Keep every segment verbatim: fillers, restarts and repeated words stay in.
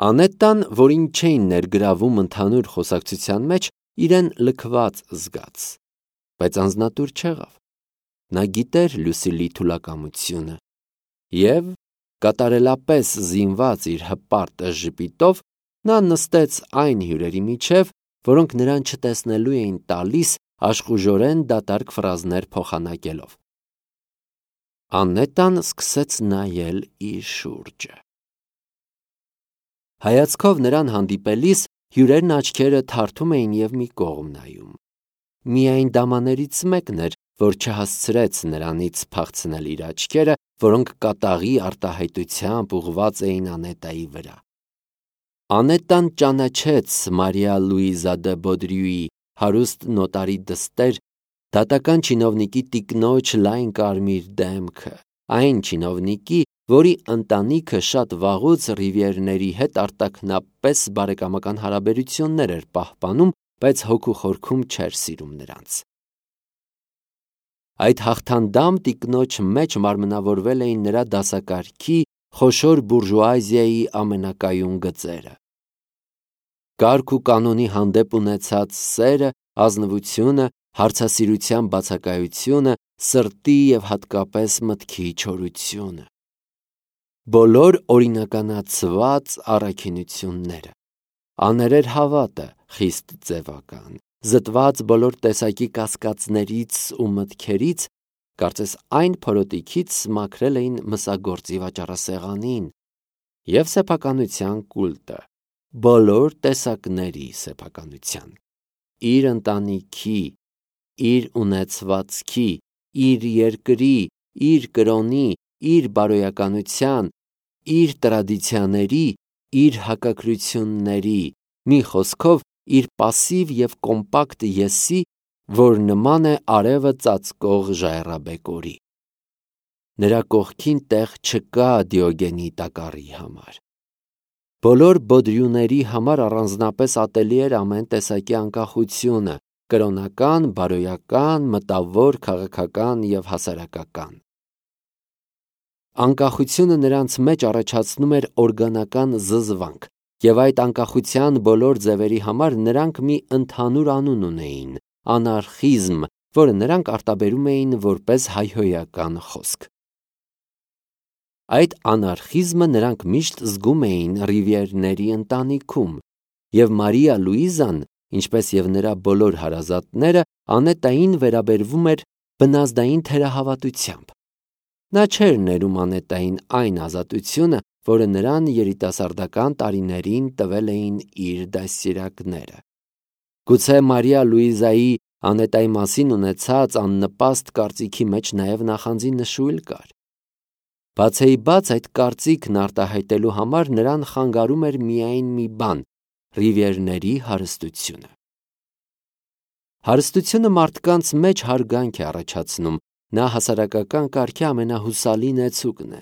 Անետտան, որին չէին ներգրավում ընդհանուր խոսակցության մեջ, իրեն լքված զգաց, բայց անձնատուր չեղավ։ Նա գիտեր Լուսիլի թուլակամությունը և, կատարելապես զինված իր հպարտ ժպիտով, նա նստեց այն հյուրերի միջև, որոնք նրան չտեսնելու էին տալիս աշխուժորեն դատարկ ֆրազներ փոխանակելով։ Անետտան սկսեց նայել իր շուրջը։ Հայացքով նրան հանդիպելիս հյուրերն աչքերը թարթում էին և մի կողմ նայում։ Միայն դամաներից մեկն էր, որ չհասցրեց նրանից փախցնել իր աչքերը, որոնք կատաղի արտահայտությամբ ուղղված էին Անետտայի վրա։ Անետտան ճանաչեց Մարիա Լուիզա դը Բոդրյուի հարուստ նոտարի դստեր, դատական չինովնիկի տիկնոջ լայն կարմիր դեմքը, այն չինովնիկի, որի ընտանիքը շատ վաղուց Ռիվիերների հետ արտաքնապես բարեկամական հարաբերություններ էր պահպանում, բայց հոգու խորքում չէր սիրում նրանց։ Այդ հաղթանդամ տիկնոջ մեջ մարմնավորվել էին նրա դասակարգի խոշոր բուրժուազիայի ամենակայուն գծերը։ Կարգ ու կանոնի հանդեպ ունեցած սերը, ազնվությունը, հարցասիրության բացակայությունը, սրտի և հատկապես մտքի չորությունը։ Բոլոր օրինականացված առաքինությունները, աներեր հավատը, խիստ ձևական, զտված բոլոր տեսակի կասկածներից ու մտքերից, կարծես այն փորոտիքից մաքրել էին մսագործի վաճառասեղանին, և սեփականության կուլտը, բոլոր տեսակների սեփականության, իր ընտանիքի, իր ունեցվածքի, իր երկրի, իր կրոնի, իր բարոյականության, իր տրադիցիաների, իր հակակրությունների, մի խոսքով իր պասիվ և կոմպակտ եսի, որ նման է արևը ծածկող ժայռաբեկորի։ Նրա կողքին տեղ չկա Դիոգենի տակառի համար։ Բոլոր Բոդրյուների համար առանձնապես ատելի էր ամեն տեսակի անկախությունը՝ կրոնական, բարոյական, մտավոր, քաղաքական և հասարակական։ Անկախությունը նրանց մեջ առաջացնում էր օրգանական զզվանք, և այդ անկախության բոլոր ձևերի համար նրանք մի ընդհանուր անուն ունեին՝ անարխիզմ, որը նրանք արտաբերում էին որպես հայհոյական խոսք։ Այդ անարխիզմը նրանք միշտ զգում էին Ռիվիերների ընտանիքում, և Մարիա Լուիզան, ինչպես և նրա բոլոր հարազատները, Անետտային վերաբերվում էր բնազդային թերահավատությամբ։ Նա չէր ներում Անետտային այն ազատությունը, որը նրան երիտասարդական տարիներին տվել էին իր դաստիարակները։ Գուցե Մարիա Լուիզայի Անետտայի մասին ունեցած աննպաստ կարծիքի մեջ նաև նախանձի նշույլ կար։ Բաց էի բաց այդ կարծիքն արտահայտելու համար նրան խանգարում էր միայն մի բան՝ Ռիվիերների հարստությունը։ Հարստությունը մարդկանց մեջ հարգանք է առաջացնում, նա հասարակական կարգի ամենահուսալի նեցուկն է։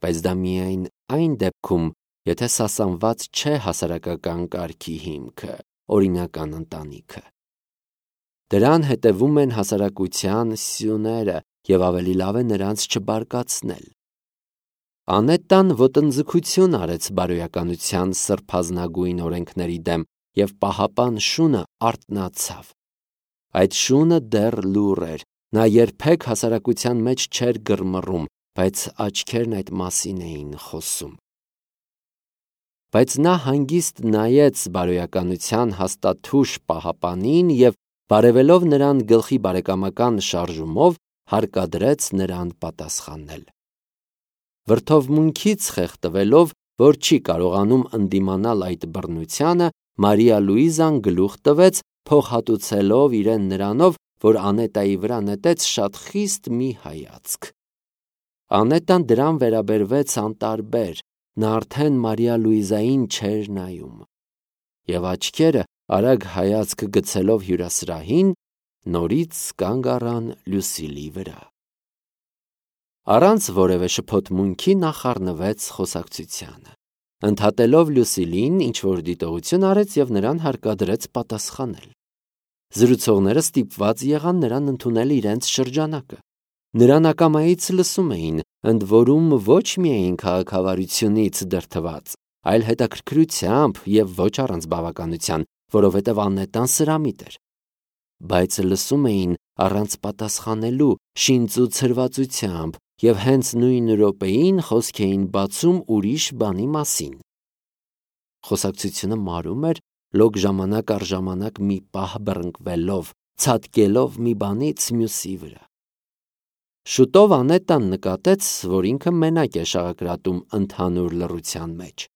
Բայց դա միայն այն դեպքում, եթե սասանված չէ հասարակական կարգի հիմքը, օրինական ընտանիքը։ Դրան հետևում են հասարակության սյուները, և ավելի լավ է նրանց չբարկացնել։ Անետտան ոտնձգություն արեց բարոյականության սրբազնագույն օրենքների դեմ, և պահապան շունը արթնացավ։ Այդ շունը դեռ լուռ էր, նա երբեք հասարակության մեջ չէր գրմռում, բայց աչքերն այդ մասին էին խոսում։ Բայց նա հանգիստ նայեց բարոյականության հաստաթուշ պահապանին և, բարևելով նրան գլխի բարեկամական շարժումով, հարկադրեց նրան պատասխանել։ Վրդովմունքից խեղդվելով, որ չի կարողանում ընդդիմանալ այդ բռնությանը, Մարիա Լուիզան գլուխ տվեց, փոխհատուցելով իրեն նրանով, որ Անետտայի վրա նետեց շատ խիստ մի հայացք։ Անետտան դրան վերաբերվեց անտարբեր, նա արդեն Մարիա Լուիզային չէր նայում։ Եվ աչքերը, արագ հայացք գցելով հյուրասրահին, նորից կանգ առան Լուսիլի վրա։ Առանց որևէ շփոթմունքի նա խառնվեց խոսակցությանը։ Ընդհատելով Լուսիլին, ինչ-որ դիտողություն արեց և նրան հարկադրեց պատասխանել։ Զրուցողները ստիպված եղան նրան ընդունել իրենց շրջանակը։ Նրան ակամայից լսում էին, ընդ որում ոչ միայն քաղաքավարությունից դրդված, այլ հետաքրքրությամբ և ոչ առանց բավականության, որովհետև Անետան սրամիտ էր։ Բայց լսում էին առանց պատասխանելու, շինծ ու ցրվածությամբ, և հենց նույն րոպեին խոսք էին բացում ուրիշ բանի մասին։ Խոսակցությունը մարում էր, լոկ ժամանակ առ ժամանակ մի պահ բռնկվելով, ցատկելով մի բանից մյուսի վրա։ Շուտով Անետան նկատեց, որ ինքը մենակ է շաղակրատում ընդհանուր լռության մեջ։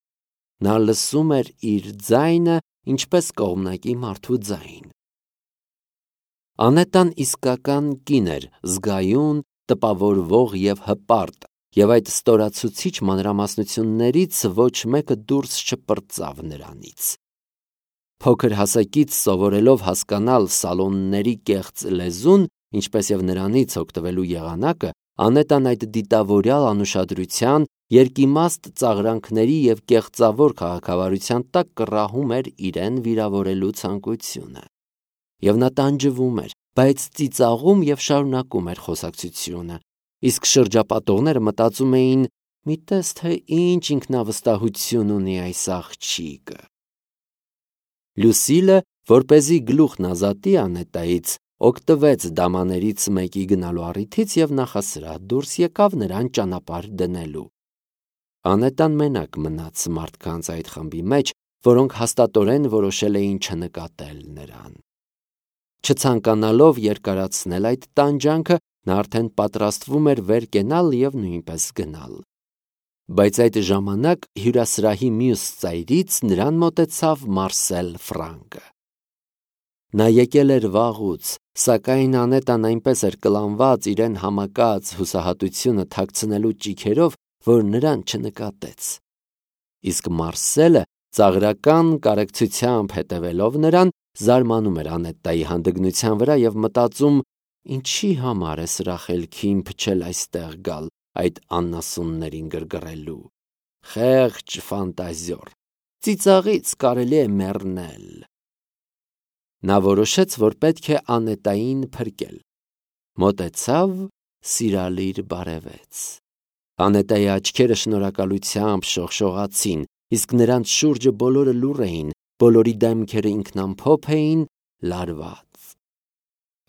Նա լսում էր իր ձայնը ինչպես կողմնակի մարդու ձայն։ Անետան իսկական կին էր, զգայուն, տպավորվող և հպարտ, և այդ ստորացուցիչ մանրամասնություններից ոչ մեկը դուրս չպրծավ նրանից։ Փոքր հասակից սովորելով հասկանալ սալոնների կեղծ լեզուն, ինչպես և նրանից օգտվելու եղանակը, Անետան այդ դիտավորյալ անուշադրության, երկիմաստ ծաղրանքների և կեղծավոր քաղաքավարության տակ կռահում էր իրեն վիրավորելու ցանկությունը։ Եվ նա տանջվում էր, բայց ծիծաղում և շարունակում էր խոսակցությունը, իսկ շրջապատողները մտածում էին. «Մի տես, թե ինչ ինքնավստահություն ունի այս աղջիկը»։ Լուսիլը, որպեսզի գլուխն ազատի Անետայից, օգտվեց դամաներից մեկի գնալու առիթից և նախասրահ դուրս եկավ նրան ճանապարհ դնելու։ Անետան մենակ մնաց մարդկանց այդ խմբի մեջ, որոնք հաստատորեն որոշել էին չնկատել նրան։ Չցանկանալով երկարացնել այդ տանջանքը, նա արդեն պատրաստվում էր վեր կենալ և նույնպես գնալ։ Բայց այդ ժամանակ հյուրասրահի մյուս ծայրից նրան մոտեցավ Մարսել Ֆրանկը։ Նա եկել էր վաղուց, սակայն Անետան այնպես էր կլանված իրեն համակած հուսահատությունը թաքցնելու ճիգերով, որ նրան չնկատեց։ Իսկ Մարսելը, ծաղրական կարեկցությամբ հետևելով նրան, զարմանում էր Անետայի հանդգնության վրա և մտածում. «Ինչի համար է սրա խելքին փչել այստեղ գալ, այդ անասուններին գրգռելու։ Խեղճ ֆանտազիոր, ծիծաղից կարելի է մեռնել»։ Նա որոշեց, որ պետք է Անետային փրկել։ Մոտեցավ, սիրալիր բարևեց։ Անետայի աչքերը շնորհակալությամբ շողշողացին, իսկ նրանց շուրջը բոլորը լուռ էին, բոլորի դեմքերը ինքնամփոփ էին, լարված։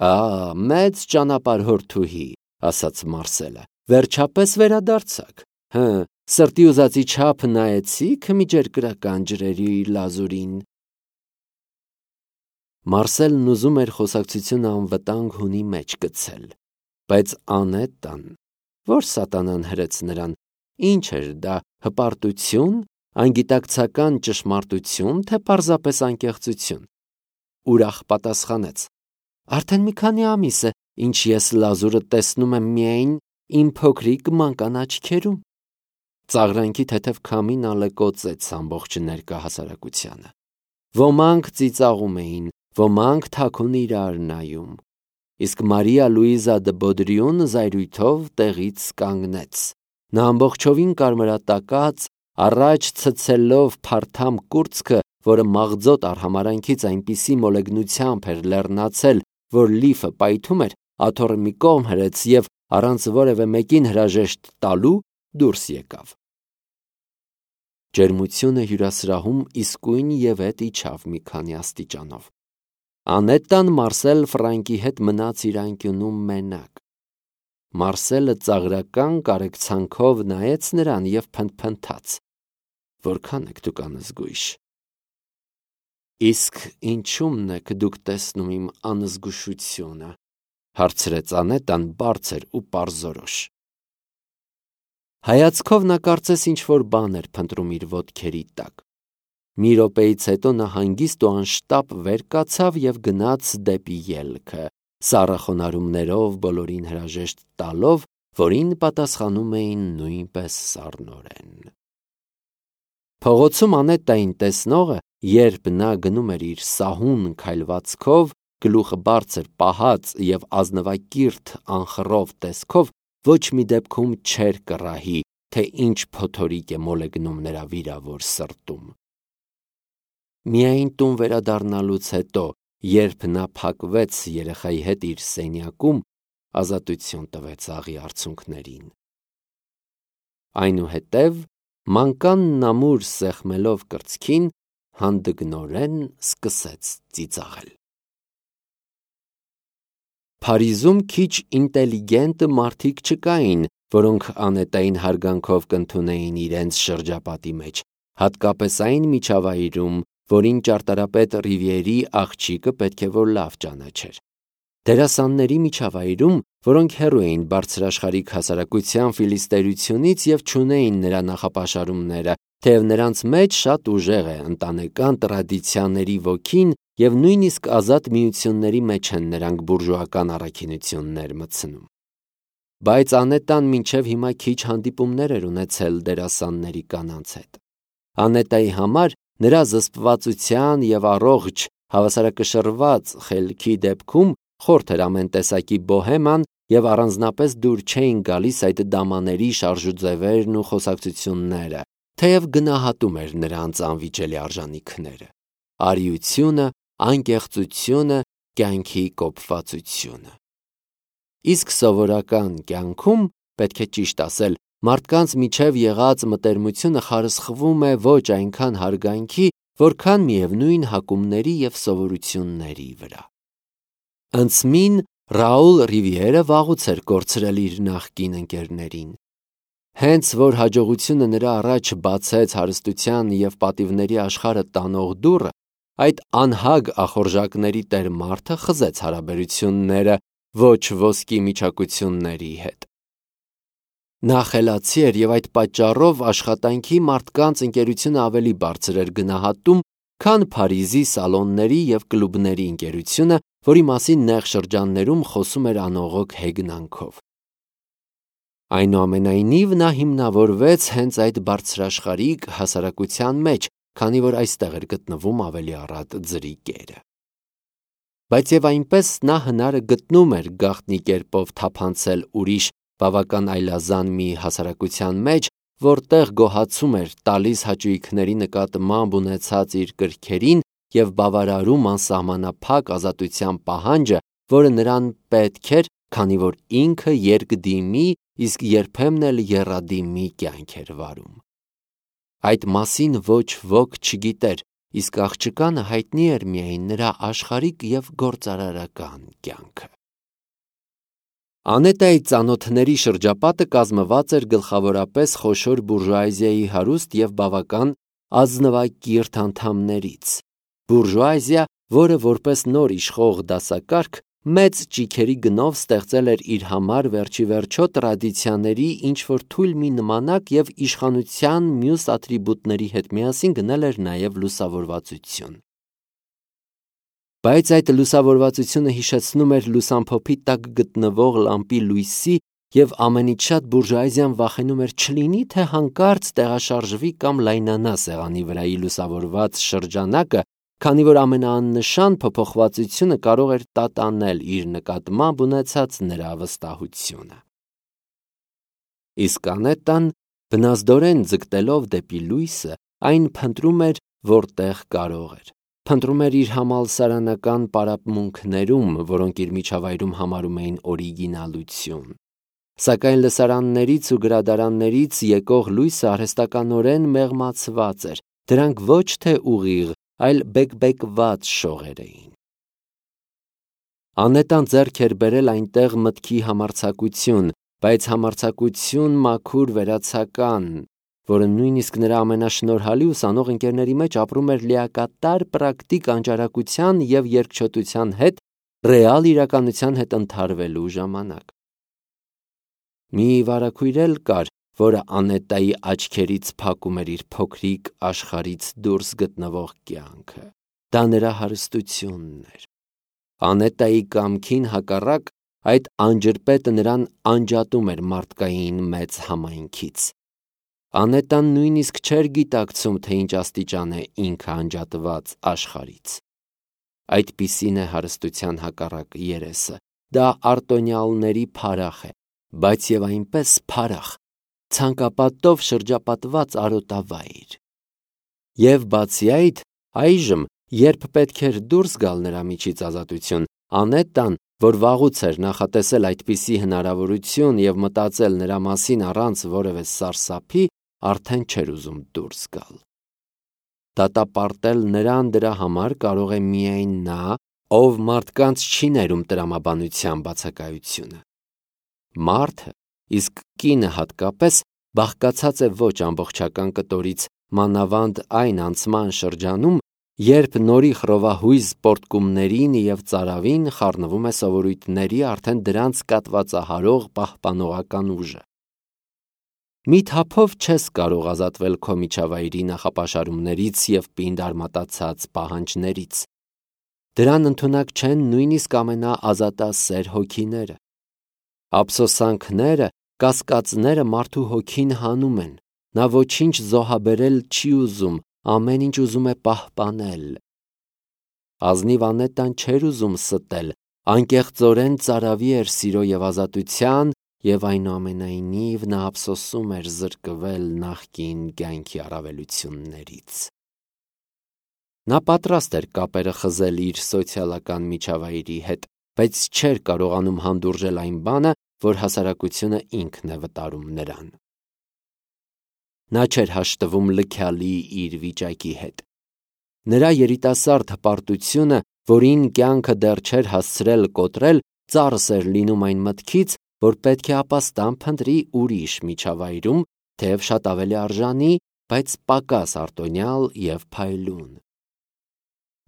«Ա, մեծ ճանապարհորդուհի», ասաց Մարսելը, վերջապես վերադարձաք։ Հը, սրտի ուզածի չափ նայեցի՞ք միջերկրական ջրերի լազուրին։ Մարսելն ուզում էր խոսակցությունը անվտանգ հունի մեջ գցել, բայց Անետան, որ սատանան հրեց նրան, ինչ էր դա, հպարտություն, անգիտակցական ճշմարտություն, թե պարզապես անկեղծություն, ուրախ պատասխանեց. «Արդեն մի քանի ամիս է, ինչ ես լազուրը տեսնում եմ միայն իմ փոքրիկ մանկան աչքերում»։ Ծաղրանքի թեթև քամին ալեկոծեց ամբողջ ներկա հասարակությանը։ Ոմանք ծիծաղում էին, ոմանք թաքուն իրար նայում, իսկ Մարիա Լուիզա դը Բոդրիուն զայրույթով տեղից կանգնեց։ Նա ամբողջովին կարմրատակած, առաջ ցցելով փարթամ կուրծքը, որը մաղձոտ արհամարանքից այնպիսի մոլեգնությամբ էր լեռնացել, որ լիֆը պայթում էր, աթոռը մի կողմ հրեց և, առանց որևէ մեկին հրաժեշտ տալու, դուրս եկավ։ Ջերմությունը հյուրասրահում իսկույն ևեթ իջավ մի քանի աստիճանով։ Անետան Մարսել Ֆրանկի հետ մնաց իր անկյունում մենակ։ Մարսելը ծաղրական կարեկցանքով նայեց նրան և փնթփնթաց. «Որքան եք դուք անզգույշ»։ «Իսկ ինչու՞մն եք դուք տեսնում իմ անզգուշությունը», հարցրեց Անետան բարձր ու պարզորոշ։ Հայացքով նա կարծես ինչ-որ բան էր փնտրում իր ոտքերի տակ։ Մի րոպեից հետո նա հանգիստ ու անշտապ վեր կացավ և գնաց դեպի ելքը, սառը խոնարհումներով բոլորին հրաժեշտ տալով, որին պատասխանում էին նույնպես սառնորեն։ Փողոցում Անետային տեսնողը, երբ նա գնում էր իր սահուն քայլվածքով, գլուխը բարձր պահած և ազնվակիրթ անխռով տեսքով, ոչ մի դեպքում չէր կռահի, թե ինչ փոթորիկ է մոլեգնում նրա վիրավոր սրտում։ Միայն տուն վերադառնալուց հետո, երբ նա փակվեց երեխայի հետ իր սենյակում, ազատություն տվեց աղի արցունքներին։ Այնուհետև Մանկանն ամուր սեղմելով կրծքին, հանդգնորեն սկսեց ծիծաղել։ Փարիզում քիչ ինտելիգենտ մարդիկ չկային, որոնք Անետային հարգանքով կընդունեին իրենց շրջապատի մեջ, հատկապես այն միջավայրում, որին ճարտարապետ Ռիվիերի աղջիկը պետք է որ լավ ճանաչեր։ Դերասանների միջավայրում, որոնք հեռու էին բարձրաշխարհիկ հասարակության ֆիլիստերությունից և չունեին նրա նախապաշարումները, թեև նրանց մեջ շատ ուժեղ է ընտանեկան տրադիցիաների ոգին և նույնիսկ ազատ միությունների մեջ են նրանք բուրժուական առաքինություններ մտցնում։ Բայց Անետան մինչև հիմա քիչ հանդիպումներ էր ունեցել դերասանների կանանց հետ։ Անետայի համար նրա զսպվածության և առողջ, հավասարակշռված խելքի դեպքում խորթ էր ամեն տեսակի բոհեման և առանձնապես դուր չէին գալիս այդ դամաների շարժուձևերն ու խոսակցությունները, թեև գնահատում էր նրանց անվիճելի արժանիքները՝ արիությունը, անկեղծությունը, կյանքի կոփվածությունը։ Իսկ սովորական կյանքում, պետք է ճիշտ ասել, մարդկանց միջև եղած մտերմությունը խարսխվում է ոչ այնքան հարգանքի, որքան միևնույն հակումների և սովորությունների վրա։ Ընծմին Ռաուլ Ռիվիերը վաղուց էր կորցրել իր նախկին ընկերներին։ Հենց որ հաջողությունը նրա առաջ բացեց հարստության և պատիվների աշխարհը տանող դուռը, այդ անհագ ախորժակների տեր մարդը խզեց հարաբերությունները ոչ ոսկի միջակությունների հետ։ Նա խելացի էր և այդ պատճառով աշխատանքի մարդկանց ընկերությունը ավելի բարձր էր գնահատում, քան Փարիզի սալոնների և կլուբների ընկերությունը, որի մասին նեղ շրջաններում խոսում էր անողոք հեգնանքով։ Այնուամենայնիվ, նա հիմնավորվեց հենց այդ բարձրաշխարհիկ հասարակության մեջ, քանի որ այստեղ էր գտնվում ավելի առատ ձրի կերը։ Բայց և այնպես նա հնարը գտնում էր գաղտնի կերպով թափանցել ուրիշ բավական այլազան մի հասարակության մեջ, որտեղ գոհացում էր տալիս հաճույքների նկատմամբ ունեցած իր կրքերին և բավարարում անսահմանափակ ազատության պահանջը, որը նրան պետք էր, քանի որ ինքը երկդիմի, իսկ երբեմն էլ եռադիմի կյանք էր վարում։ Այդ մասին ոչ ոք չգիտեր, իսկ աղջկանը հայտնի էր միայն նրա աշխարհիկ և գործարարական կյանքը։ Անետայի ծանոթների շրջապատը կազմված էր գլխավորապես խոշոր բուրժուազիայի հարուստ և բավական ազնվակիրթ անդամներից։ Բուրժուազիա, որը որպես նոր իշխող դասակարգ մեծ ճիգերի գնով ստեղծել էր իր համար վերջիվերջո տրադիցիաների ինչ-որ թույլ մի նմանակ և իշխանության մյուս ատրիբուտների հետ միասին գնել էր նաև լուսավորվածություն։ Բայց այդ լուսավորվածությունը հիշեցնում էր լուսամփոփի տակ գտնվող լամպի լույսի և ամենից շատ բուրժուազիան վախենում էր չլինի, թե հանկարծ տեղաշարժվի կամ լայնանա սեղանի վրայի լուսավորված շրջանակը, քանի որ ամենաաննշան փոփոխվածությունը կարող էր տատանել իր նկատմամբ ունեցած նրա վստահությունը։ Իսկ Անետան, բնազդորեն ձգտելով դեպի լույսը, այն փնտրում էր, որտեղ կարող էր։ Փնտրում էր իր համալսարանական պարապմունքներում, որոնք իր միջավայրում համարում էին օրիգինալություն։ Սակայն լսարաններից ու գրադարաններից եկող լույսը արհեստականորեն մեղմացված էր, դրանք ոչ թե ուղիղ, այլ բեկբեկված շողեր էին։ Անետան ձեռք էր բերել այնտեղ մտքի համարձակություն, բայց համարձակություն մաքուր վերացական, որը նույնիսկ նրա ամենաշնորհալի ուսանող ընկերների մեջ ապրում էր լիակատար պրակտիկ անճարակության և երկչոտության հետ ռեալ իրականության հետ ընդհարվելու ժամանակ։ Մի վարագույր էլ կար, որը Անետայի աչքերից փակում էր իր փոքրիկ աշխարհից դուրս գտնվող կյանքը։ Դա նրա հարստությունն էր։ Անետայի կամքին հակառակ, այդ անջրպետը նրան անջատում էր մարդկային մեծ համայնքից։ Անետան նույնիսկ չէր գիտակցում, թե ինչ աստիճան է ինքը անջատված աշխարհից։ Այդպիսին է հարստության հակառակ երեսը։ Դա արտոնյալների փարախ է, բայց և այնպես փարախ, ցանկապատով շրջապատված արոտավայր։ Եվ բացի այդ, այժմ, երբ պետք էր դուրս գալ նրա միջից ազատություն, Անետան, որ վաղուց էր նախատեսել այդպիսի հնարավորություն և մտածել նրա մասին առանց որևէ սարսափի, արդեն չէր ուզում դուրս գալ։ Դատապարտել նրան դրա համար կարող է միայն նա, ով մարդկանց չի ներում տրամաբանության բացակայությունը։ Մարդը, իսկ կինը հատկապես, բաղկացած է ոչ ամբողջական կտորից, մանավանդ այն անցման շրջանում, երբ նորի խռովահույզ պոռթկումներին և ծարավին խառնվում է սովորույթների արդեն դրանց կատվածահարող պահպանողական ուժը։ Մի թափով չես կարող ազատվել քո միջավայրի նախապաշարումներից և պինդ արմատացած պահանջներից։ Դրան ընդունակ չեն նույնիսկ ամենաազատասեր հոգիները։ Ափսոսանքները, կասկածները մարդու հոգին հանում են, նա ոչինչ զոհաբերել չի ուզում, ամեն ինչ ուզում է պահպանել։ Ազնիվ Անետան չէր ուզում ստել, անկեղծորեն ծարավի էր սիրո և ազատության, և այնուամենայնիվ նա ափսոսում էր զրկվել նախկին կյանքի առավելություններից։ Նա պատրաստ էր կապերը խզել իր սոցիալական միջավայրի հետ, բայց չէր կարողանում հանդուրժել այն բանը, որ հասարակությունը ինքն է վտարում նրան։ Նա չէր հաշտվում լքյալի իր վիճակի հետ։ Նրա երիտասարդ հպարտությունը, որին կյանքը դեռ չէր հասցրել կոտրել, ծախս էր լինում այն մտքից, որ պետք է ապաստան փնտրի ուրիշ միջավայրում, թեև շատ ավելի արժանի, բայց պակաս արտոնյալ և փայլուն։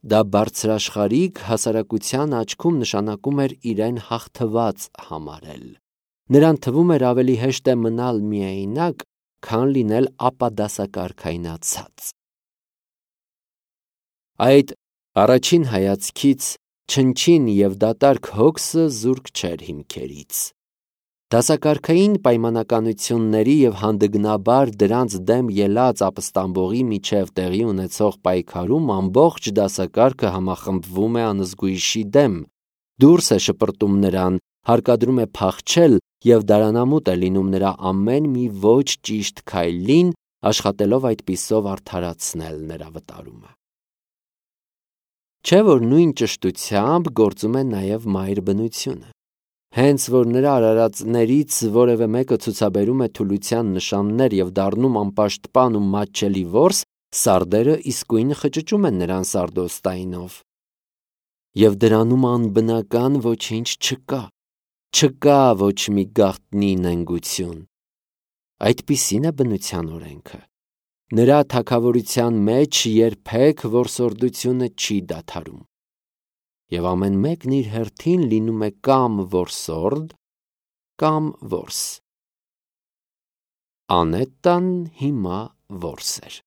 Դա բարձրաշխարհիկ հասարակության աչքում նշանակում էր իրեն հաղթված համարել։ Նրան թվում էր ավելի հեշտ է մնալ միայնակ, քան լինել ապադասակարգայնացած։ Այդ առաջին հայացքից չնչին և դատարկ հոգսը զուրկ չէր հիմքերից։ Դասակարգային պայմանականությունների և հանդգնաբար դրանց դեմ ելած ապստամբողի միջև տեղի ունեցող պայքարում ամբողջ դասակարգը համախմբվում է անզգույշի դեմ, դուրս է շպրտում նրան, հարկադրում է փախչել և դարանամուտ է լինում նրա ամեն մի ոչ ճիշտ քայլին, աշխատելով այդպիսով արդարացնել նրա վտարումը։ Չէ՞ որ նույն ճշտությամբ գործում է նաև մայր բնությունը։ Հենց որ նրա արարածներից որևէ մեկը ցուցաբերում է թուլության նշաններ և դառնում անպաշտպան ու մատչելի որս, սարդերը իսկույն խճճում են նրան սարդոստայնով։ Եվ դրանում անբնական ոչինչ չկա, չկա ոչ մի գաղտնի նենգություն։ Այդպիսին է բնության օրենքը։ Նրա թագավորության մեջ երբեք որսորդությունը չի դադարում։ Եվ ամեն մեկն իր հերթին լինում է կամ որսորդ, կամ որս։ Անետան հիմա որս էր։